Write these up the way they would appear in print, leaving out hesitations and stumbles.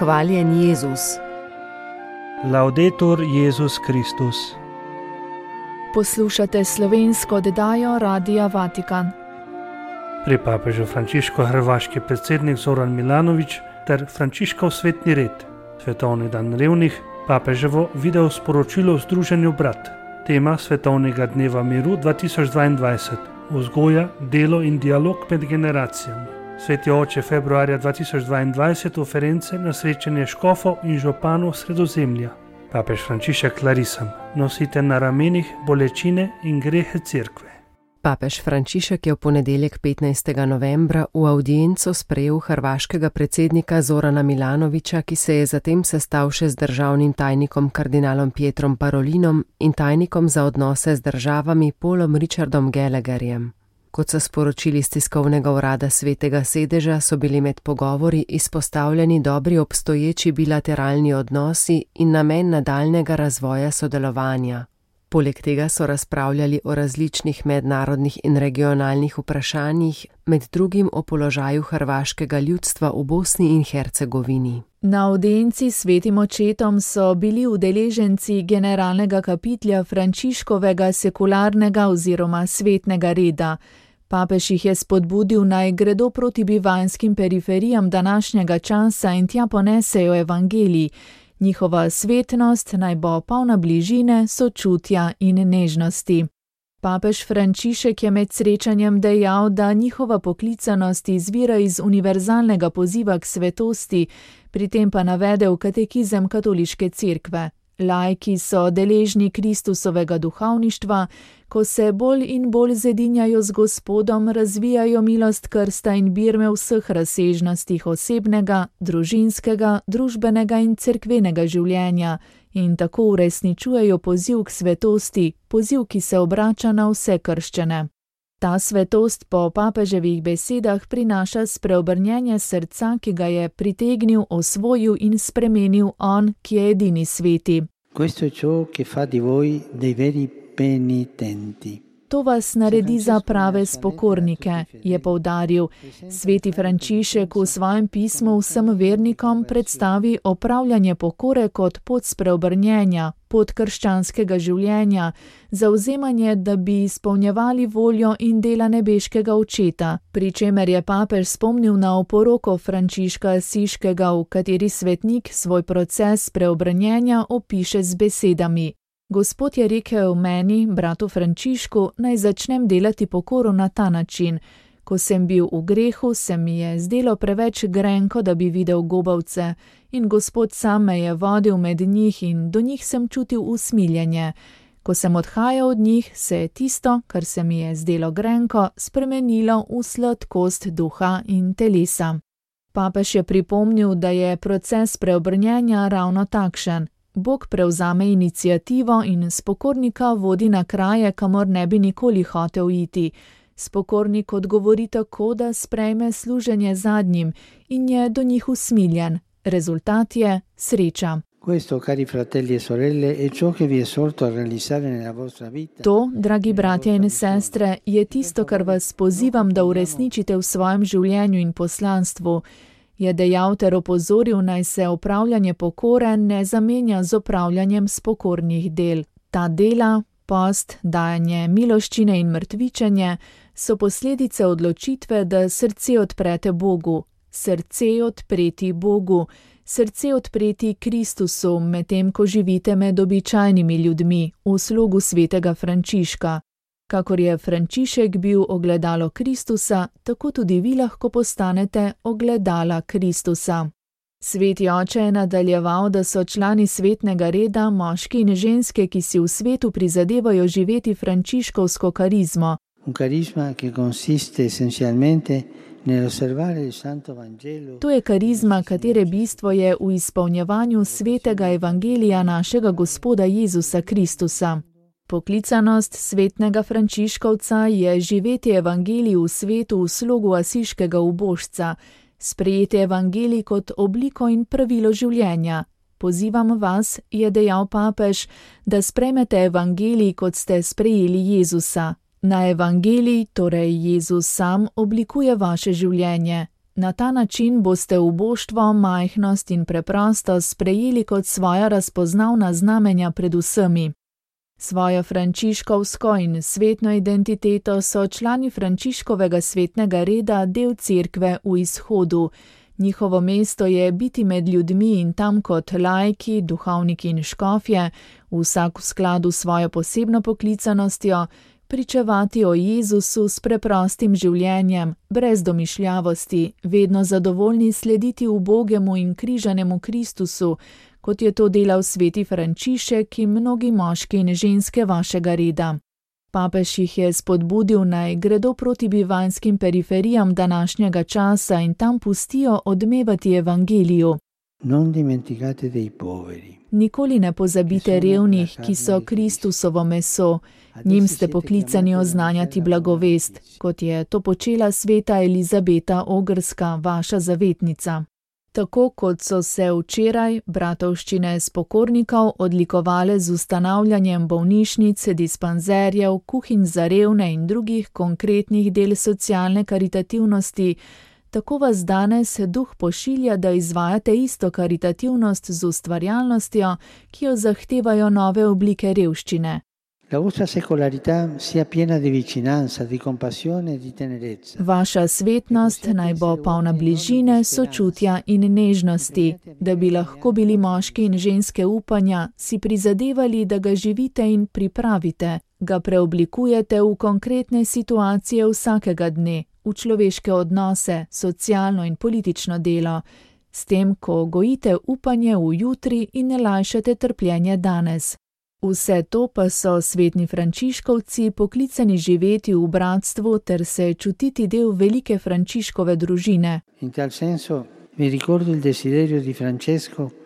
Hvaljen Jezus. Laudetur Jezus Kristus. Poslušate slovensko oddajo Radia Vatikan. Pri papežu Frančišku hrvaški predsednik Zoran Milanović ter Frančiškov svetni red, svetovni dan revnih, papeževo video sporočilo v Združenju Brat, tema svetovnega dneva miru 2022, vzgoja, delo in dialog med generacijami. Sveti oče februarja 2022 oference na srečanje škofov in županov Sredozemlja. Papež Frančišek Clarisam, nosite na ramenih bolečine in grehe cerkve. Papež Frančišek je v ponedeljek 15. novembra v audienco sprejel hrvaškega predsednika Zorana Milanovića, ki se je zatem sestal še z državnim tajnikom kardinalom Pietrom Parolinom in tajnikom za odnose z državami Paulom Richardom Gallagherjem. Kot so sporočili iz tiskovnega urada Svetega sedeža, so bili med pogovori izpostavljeni dobri obstoječi bilateralni odnosi in namen nadaljnega razvoja sodelovanja. Poleg tega so razpravljali o različnih mednarodnih in regionalnih vprašanjih, med drugim o položaju hrvaškega ljudstva v Bosni in Hercegovini. Na audienci s svetim očetom so bili udeleženci generalnega kapitlja Frančiškovega sekularnega oziroma svetnega reda. Papež jih je spodbudil, naj gredo proti bivanjskim periferijam današnjega časa in tja ponesejo evangelij. Njihova svetnost naj bo polna bližine, sočutja in nežnosti. Papež Frančišek je med srečanjem dejal, da njihova poklicanost izvira iz univerzalnega poziva k svetosti, pri tem pa navedel katekizem katoliške cerkve. Laiki so deležni Kristusovega duhovništva, ko se bolj in bolj zedinjajo z Gospodom, razvijajo milost krsta in birme v vseh razsežnostih osebnega, družinskega, družbenega in cerkvenega življenja in tako uresničujejo poziv k svetosti, poziv, ki se obrača na vse krščane. Ta svetost po papeževih besedah prinaša spreobrnjenje srca, ki ga je pritegnil, osvojil in spremenil on, ki je edini sveti. Questo è ciò che fa di voi dei veri penitenti. To vas naredi za prave spokornike, je poudaril. Sveti Frančišek v svojem pismu vsem vernikom predstavi opravljanje pokore kot pot spreobrnjenja, pot krščanskega življenja, zavzemanje, da bi izpolnjevali voljo in dela nebeškega očeta, pri čemer je papež spomnil na oporoko Frančiška Asiškega, v kateri svetnik svoj proces spreobrnjenja opiše z besedami. Gospod je rekel meni, bratu Frančišku, naj začnem delati pokoro na ta način. Ko sem bil v grehu, se mi je zdelo preveč grenko, da bi videl gobavce, in Gospod sam me je vodil med njih in do njih sem čutil usmiljenje. Ko sem odhajal od njih, se je tisto, kar se mi je zdelo grenko, spremenilo v sladkost duha in telesa. Papež je pripomnil, da je proces preobrnjenja ravno takšen. Bog prevzame iniciativo in spokornika vodi na kraje, kamor ne bi nikoli hotel iti. Spokornik odgovori tako, da sprejme služenje zadnjim in je do njih usmiljen. Rezultat je sreča. Questo, cari fratelli e sorelle, è ciò che vi esorto a realizzare nella vostra vita. To, dragi bratje in sestre, je tisto, kar vas pozivam, da uresničite v svojem življenju in poslanstvu. Je dejal ter opozoril, naj se opravljanje pokore ne zamenja z opravljanjem spokornih del. Ta dela, post, dajanje miloščine in mrtvičenje, so posledice odločitve, da srce odprete Bogu. Srce odpreti Bogu, srce odpreti Kristusu, medtem ko živite med običajnimi ljudmi, v slogu svetega Frančiška. Kakor je Frančišek bil ogledalo Kristusa, tako tudi vi lahko postanete ogledala Kristusa. Sveti oče je nadaljeval, da so člani svetnega reda, moški in ženske, ki si v svetu prizadevajo živeti frančiškovsko karizmo. Un carisma che consiste essenzialmente nell'osservare il Santo Vangelo. To je karizma, katere bistvo je v izpolnjevanju svetega evangelija našega Gospoda Jezusa Kristusa. Poklicanost svetnega Frančiškovca je živeti evangelij v svetu v slogu asiškega ubožca, sprejeti evangelij kot obliko in pravilo življenja. Pozivam vas, je dejal papež, da sprejmete evangelij, kot ste sprejeli Jezusa. Na evangelij, torej Jezus sam, oblikuje vaše življenje. Na ta način boste uboštvo, majhnost in preprostost sprejeli kot svoja razpoznavna znamenja pred vsemi. Svojo frančiškovsko in svetno identiteto so člani Frančiškovega svetnega reda del cerkve v Izhodu. Njihovo mesto je biti med ljudmi in tam kot laiki, duhovniki in škofje, vsak v skladu s svojo posebno poklicanostjo, pričevati o Jezusu s preprostim življenjem, brez domišljavosti, vedno zadovoljni slediti ubogemu in križanemu Kristusu, kot je to delal sveti Frančišek in mnogi moški in ženske vašega reda. Papež jih je spodbudil, naj gredo proti bivanjskim periferijam današnjega časa in tam pustijo odmevati evangeliju. Nikoli ne pozabite revnih, ki so Kristusovo meso. Njim ste poklicani oznanjati blagovest, kot je to počela sveta Elizabeta Ogrska, vaša zavetnica. Tako kot so se včeraj bratovščine spokornikov odlikovale z ustanavljanjem bolnišnic, dispanzerjev, kuhinj za revne in drugih konkretnih del socialne karitativnosti, tako vas danes duh pošilja, da izvajate isto karitativnost z ustvarjalnostjo, ki jo zahtevajo nove oblike revščine. Vaša svetnost naj bo polna bližine, sočutja in nežnosti, da bi lahko bili moški in ženske upanja, si prizadevali, da ga živite in pripravite, ga preoblikujete v konkretne situacije vsakega dne, v človeške odnose, socialno in politično delo, s tem, ko gojite upanje v jutri in ne lajšate trpljenje danes. Vse to pa so svetni frančiškovci poklicani živeti v bratstvu ter se čutiti del velike Frančiškove družine.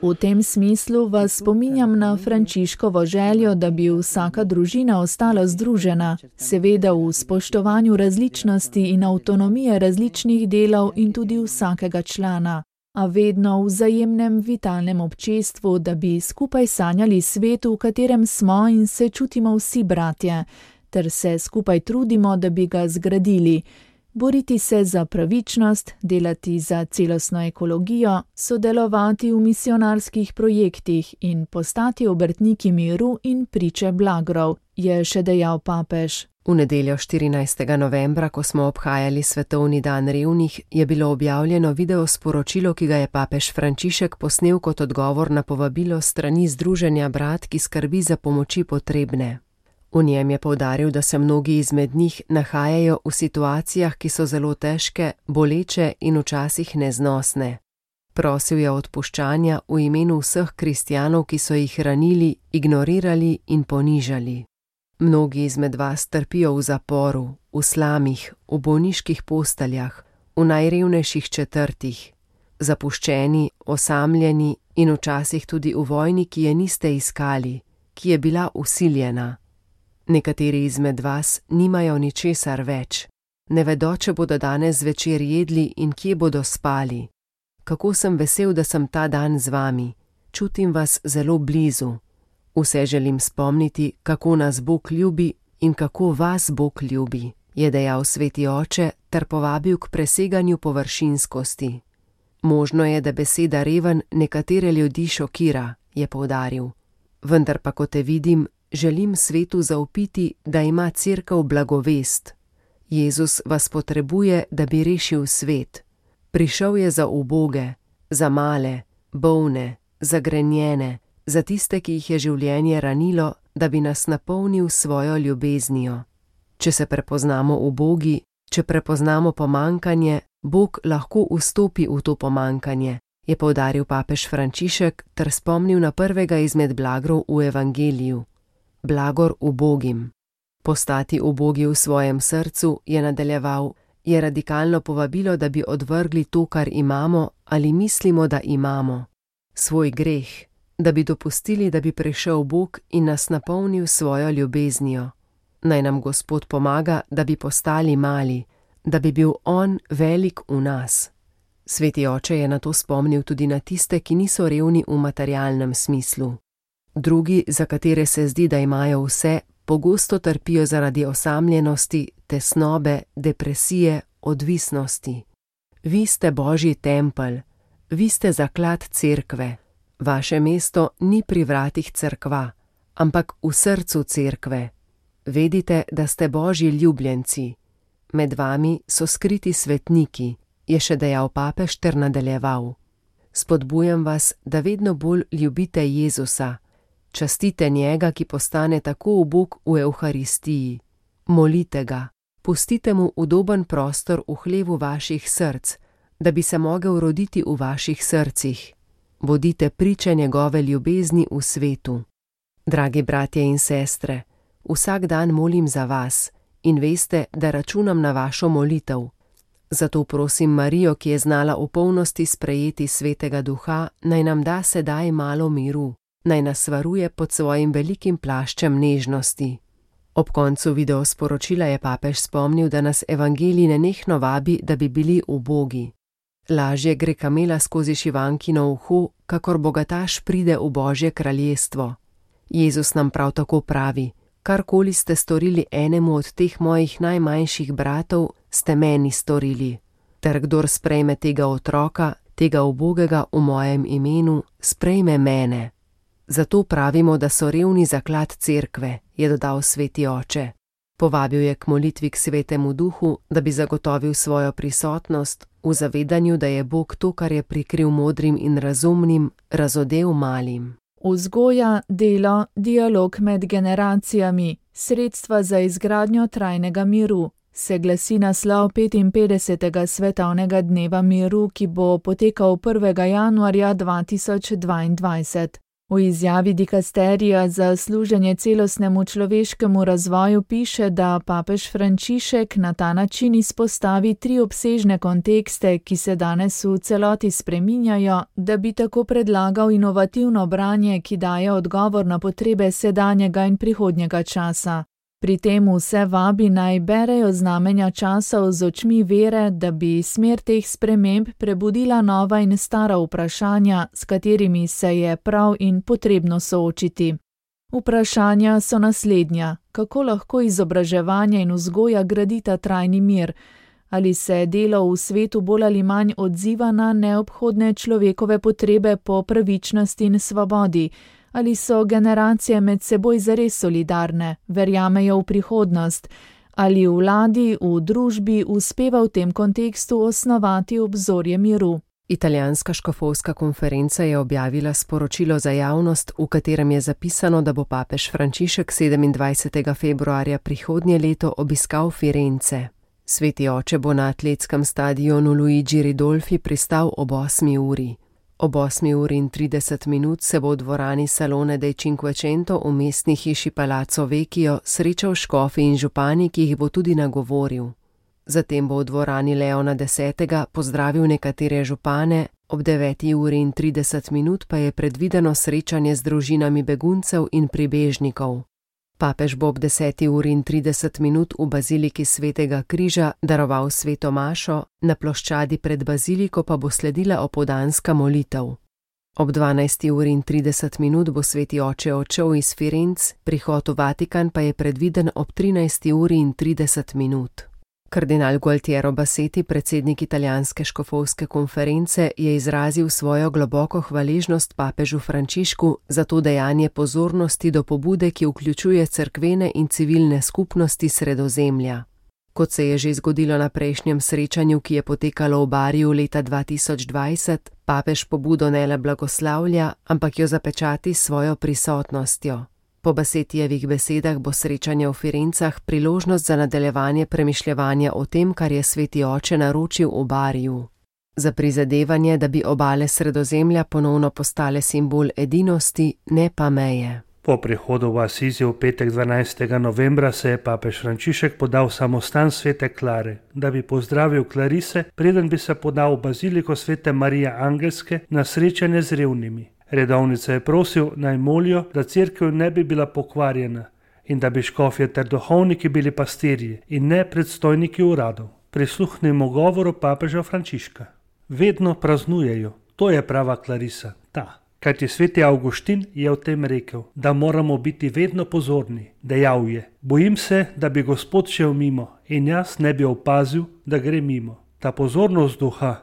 V tem smislu vas spominjam na Frančiškovo željo, da bi vsaka družina ostala združena, seveda v spoštovanju različnosti in avtonomije različnih delov in tudi vsakega člana, a vedno v vzajemnem vitalnem občestvu, da bi skupaj sanjali svetu, v katerem smo in se čutimo vsi bratje, ter se skupaj trudimo, da bi ga zgradili, boriti se za pravičnost, delati za celostno ekologijo, sodelovati v misionarskih projektih in postati obrtniki miru in priče blagrov, je še dejal papež. V nedeljo 14. novembra, ko smo obhajali Svetovni dan revnih, je bilo objavljeno video sporočilo, ki ga je papež Frančišek posnel kot odgovor na povabilo strani Združenja brat, ki skrbi za pomoči potrebne. V njem je poudaril, da se mnogi izmed njih nahajajo v situacijah, ki so zelo težke, boleče in včasih neznosne. Prosil je odpuščanja v imenu vseh kristjanov, ki so jih ranili, ignorirali in ponižali. Mnogi izmed vas trpijo v zaporu, v slamih, v bolniških posteljah, v najrevnejših četrtih, zapuščeni, osamljeni in včasih tudi v vojni, ki je niste iskali, ki je bila vsiljena. Nekateri izmed vas nimajo ničesar več, ne vedo, če bodo danes zvečer jedli in kje bodo spali. Kako sem vesel, da sem ta dan z vami, čutim vas zelo blizu. Vse želim spomniti, kako nas Bog ljubi in kako vas Bog ljubi, je dejal sveti oče ter povabil k preseganju površinskosti. Možno je, da beseda reven nekatere ljudi šokira, je poudaril. Vendar pa, ko te vidim, želim svetu zaupiti, da ima cerkev blagovest. Jezus vas potrebuje, da bi rešil svet. Prišel je za uboge, za male, bolne, zagrenjene, za tiste, ki jih je življenje ranilo, da bi nas napolnil svojo ljubeznijo. Če se prepoznamo v Bogu, če prepoznamo pomankanje, Bog lahko vstopi v to pomankanje, je poudaril papež Frančišek ter spomnil na prvega izmed blagrov v evangeliju. Blagor ubogim. Postati ubogi v svojem srcu, je nadaljeval, je radikalno povabilo, da bi odvrgli to, kar imamo ali mislimo, da imamo. Svoj greh. Da bi dopustili, da bi prišel Bog in nas napolnil svojo ljubeznijo. Naj nam Gospod pomaga, da bi postali mali, da bi bil On velik v nas. Sveti oče je na to spomnil tudi na tiste, ki niso revni v materialnem smislu. Drugi, za katere se zdi, da imajo vse, pogosto trpijo zaradi osamljenosti, tesnobe, depresije, odvisnosti. Vi ste Božji tempelj, vi ste zaklad cerkve. Vaše mesto ni pri vratih cerkva, ampak v srcu cerkve. Vedite, da ste Božji ljubljenci. Med vami so skriti svetniki, je še dejal papež ter nadaljeval. Spodbujam vas, da vedno bolj ljubite Jezusa. Častite njega, ki postane tako ubog v Evharistiji. Molite ga, pustite mu udoben prostor v hlevu vaših src, da bi se mogel roditi v vaših srcih. Bodite priče njegove ljubezni v svetu. Dragi bratje in sestre, vsak dan molim za vas in veste, da računam na vašo molitev. Zato prosim Marijo, ki je znala v polnosti sprejeti Svetega Duha, naj nam da sedaj malo miru, naj nas varuje pod svojim velikim plaščem nežnosti. Ob koncu videosporočila je papež spomnil, da nas evangelij nenehno vabi, da bi bili ubogi. Lažje gre kamela skozi šivankino uho, kakor bogataš pride v Božje kraljestvo. Jezus nam prav tako pravi: karkoli ste storili enemu od teh mojih najmanjših bratov, ste meni storili. Ter kdor sprejme tega otroka, tega ubogega v mojem imenu, sprejme mene. Zato pravimo, da so revni zaklad cerkve, je dodal sveti oče. Povabil je k molitvi k Svetemu Duhu, da bi zagotovil svojo prisotnost v zavedanju, da je Bog to, kar je prikril modrim in razumnim, razodel malim. Vzgoja, delo, dialog med generacijami, sredstva za izgradnjo trajnega miru, se glasi naslov 55. svetovnega dneva miru, ki bo potekal 1. januarja 2022. V izjavi dikasterija za služenje celostnemu človeškemu razvoju piše, da papež Frančišek na ta način izpostavi 3 obsežne kontekste, ki se danes v celoti spreminjajo, da bi tako predlagal inovativno branje, ki daje odgovor na potrebe sedanjega in prihodnjega časa. Pri tem vse vabi naj berejo znamenja časov z očmi vere, da bi smer teh sprememb prebudila nova in stara vprašanja, s katerimi se je prav in potrebno soočiti. Vprašanja so naslednja: kako lahko izobraževanje in vzgoja gradita trajni mir? Ali se delo v svetu bolj ali manj odziva na neobhodne človekove potrebe po pravičnosti in svobodi? Ali so generacije med seboj zares solidarne, verjamejo v prihodnost? Ali vladi, v družbi uspeva v tem kontekstu osnovati obzorje miru? Italijanska škofovska konferenca je objavila sporočilo za javnost, v katerem je zapisano, da bo papež Frančišek 27. februarja prihodnje leto obiskal Firence. Sveti oče bo na atletskem stadionu Luigi Ridolfi pristal ob 8. uri. Ob 8:30 se bo v dvorani Salone dei Cinquecento v mestni hiši Palazzo Vecchio srečal škofi in župani, ki jih bo tudi nagovoril. Zatem bo v dvorani Leona X. pozdravil nekatere župane, ob 9:30 pa je predvideno srečanje z družinami beguncev in pribežnikov. Papež bo ob 10:30 v baziliki Svetega križa daroval sveto mašo, na ploščadi pred baziliko pa bo sledila opoldanska molitev. Ob 12:30 bo sveti oče odšel iz Firenc, prihod v Vatikan pa je predviden ob 13:30. Kardinal Gualtiero Bassetti, predsednik italijanske škofovske konference, je izrazil svojo globoko hvaležnost papežu Frančišku za to dejanje pozornosti do pobude, ki vključuje cerkvene in civilne skupnosti Sredozemlja. Kot se je že zgodilo na prejšnjem srečanju, ki je potekalo v Bariju leta 2020, papež pobudo ne le blagoslavlja, ampak jo zapečati s svojo prisotnostjo. Po Bassettijevih besedah bo srečanje v Firencah priložnost za nadaljevanje premišljevanja o tem, kar je sveti oče naročil v Bariju. Za prizadevanje, da bi obale Sredozemlja ponovno postale simbol edinosti, ne pa meje. Po prihodu v Asizi v petek 12. novembra se je papež Frančišek podal v samostan Svete Klare, da bi pozdravil klarise, preden bi se podal v baziliko Svete Marije Angelske na srečanje z revnimi. Redovnice je prosil, naj molijo, da cerkev ne bi bila pokvarjena in da bi škofje ter duhovniki bili pastirji in ne predstojniki uradov. Prisluhnimo govoru papeža Frančiška. Vedno praznujejo, to je prava klarisa, ta. Kajti sveti Avguštin je o tem rekel, da moramo biti vedno pozorni. Dejal je: bojim se, da bi Gospod šel mimo in jaz ne bi opazil, da gre mimo. Ta pozornost duha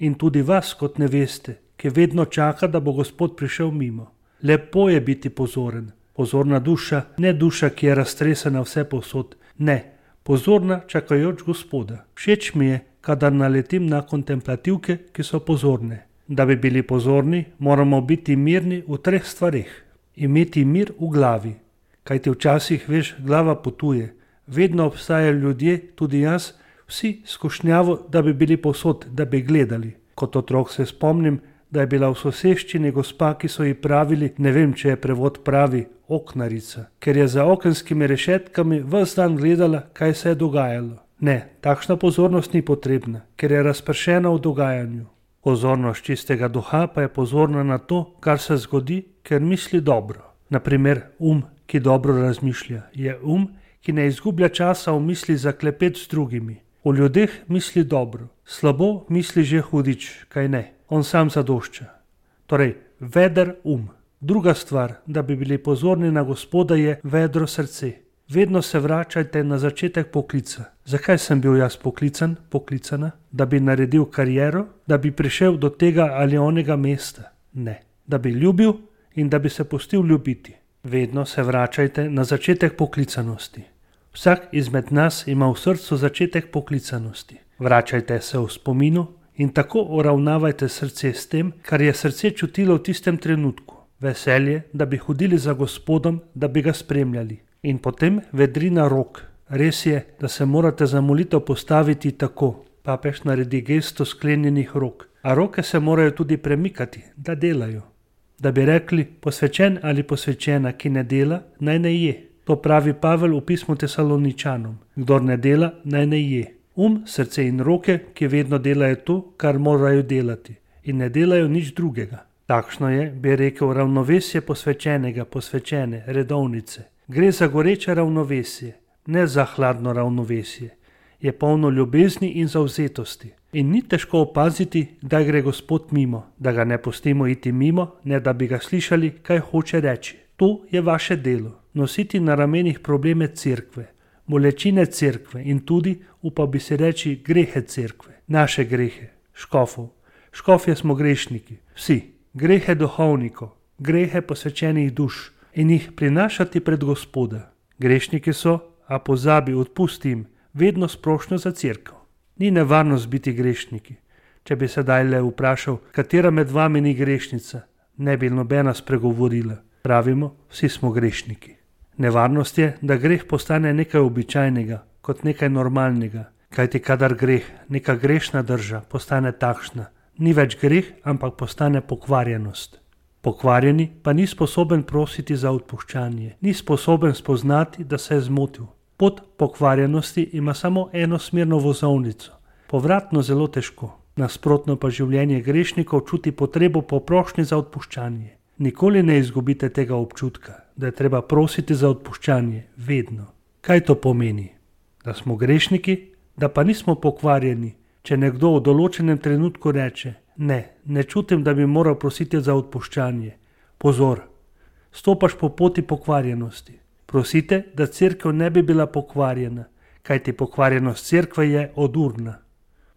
in tudi vas kot neveste, ki vedno čaka, da bo Gospod prišel mimo. Lepo je biti pozoren. Pozorna duša, ne duša, ki je raztresena vse povsod. Ne, pozorna čakajoč Gospoda. Všeč mi je, kadar naletim na kontemplativke, ki so pozorne. Da bi bili pozorni, moramo biti mirni v 3 stvareh. Imeti mir v glavi. Kajti včasih, veš, glava potuje. Vedno obstajajo ljudje, tudi jaz, vsi skušnjavo, da bi bili povsod, da bi gledali. Kot otrok se spomnim, da je bila v soseščini gospa, ki so ji pravili, ne vem, če je prevod pravi, oknarica, ker je za okenskimi rešetkami ves dan gledala, kaj se je dogajalo. Ne, takšna pozornost ni potrebna, ker je razpršena v dogajanju. Pozornost čistega duha pa je pozorna na to, kar se zgodi, ker misli dobro. Naprimer, ki dobro razmišlja, je ki ne izgublja časa v misli za klepet z drugimi. O ljudeh misli dobro, slabo misli že hudič, kaj ne, on sam zadošča. Torej, veder Druga stvar, da bi bili pozorni na Gospoda, je vedro srce. Vedno se vračajte na začetek poklica. Zakaj sem bil jaz poklicana? Da bi naredil kariero, da bi prišel do tega ali onega mesta? Ne, da bi ljubil in da bi se pustil ljubiti. Vedno se vračajte na začetek poklicanosti. Vsak izmed nas ima v srcu začetek poklicanosti. Vračajte se v spominu in tako uravnavajte srce s tem, kar je srce čutilo v tistem trenutku. Veselje, da bi hodili za Gospodom, da bi ga spremljali. In potem vedrina rok. Res je, da se morate za molitev postaviti tako. Papež naredi gesto sklenjenih rok. A roke se morajo tudi premikati, da delajo. Da bi rekli, posvečen ali posvečena, ki ne dela, naj ne je. To pravi Pavel v pismu Tesaloničanom. Kdor ne dela, naj ne je. Srce in roke, ki vedno delajo to, kar morajo delati. In ne delajo nič drugega. Takšno je, bi rekel, ravnovesje posvečene, redovnice. Gre za goreče ravnovesje, ne za hladno ravnovesje. Je polno ljubezni in zavzetosti. In ni težko opaziti, da gre Gospod mimo, da ga ne pustimo iti mimo, ne da bi ga slišali, kaj hoče reči. To je vaše delo, nositi na ramenih probleme cerkve, bolečine cerkve in tudi, upal bi si reči, grehe cerkve, naše grehe, škofov. Škofje smo grešniki, vsi. Grehe duhovnikov, grehe posvečenih duš in jih prinašati pred Gospoda. Grešniki so, a pozabi, odpusti jim, vedno sprošnjo za cerkev. Ni nevarnost biti grešniki. Če bi sedaj le vprašal, katera med vami ni grešnica, ne bi nobena spregovorila. Pravimo, vsi smo grešniki. Nevarnost je, da greh postane nekaj običajnega, kot nekaj normalnega. Kajti kadar greh, neka grešna drža, postane takšna, ni več greh, ampak postane pokvarjenost. Pokvarjeni pa ni sposoben prositi za odpuščanje, ni sposoben spoznati, da se je zmotil. Pot pokvarjenosti ima samo enosmerno vozovnico, povratno zelo težko. Nasprotno pa življenje grešnikov čuti potrebo po prošnji za odpuščanje. Nikoli ne izgubite tega občutka, da je treba prositi za odpuščanje, vedno. Kaj to pomeni? Da smo grešniki, da pa nismo pokvarjeni. Če nekdo v določenem trenutku reče, ne čutim, da bi moral prositi za odpuščanje. Pozor, stopaš po poti pokvarjenosti. Prosite, da cerkev ne bi bila pokvarjena, kajti pokvarjenost cerkve je odurna.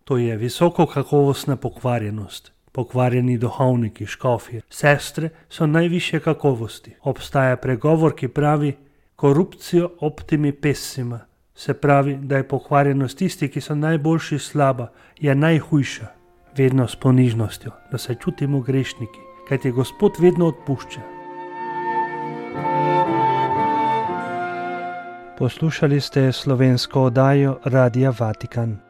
To je visoko kakovostna pokvarjenost. Pokvarjeni duhovniki, škofje, sestre so najvišje kakovosti. Obstaja pregovor, ki pravi corruptio optimi pessima. Se pravi, da je pokvarjenost tisti, ki so najboljši slaba, je najhujša. Vedno s ponižnostjo, da se čutimo grešniki, kajti Gospod vedno odpušča. Poslušali ste slovensko oddajo Radia Vatikan.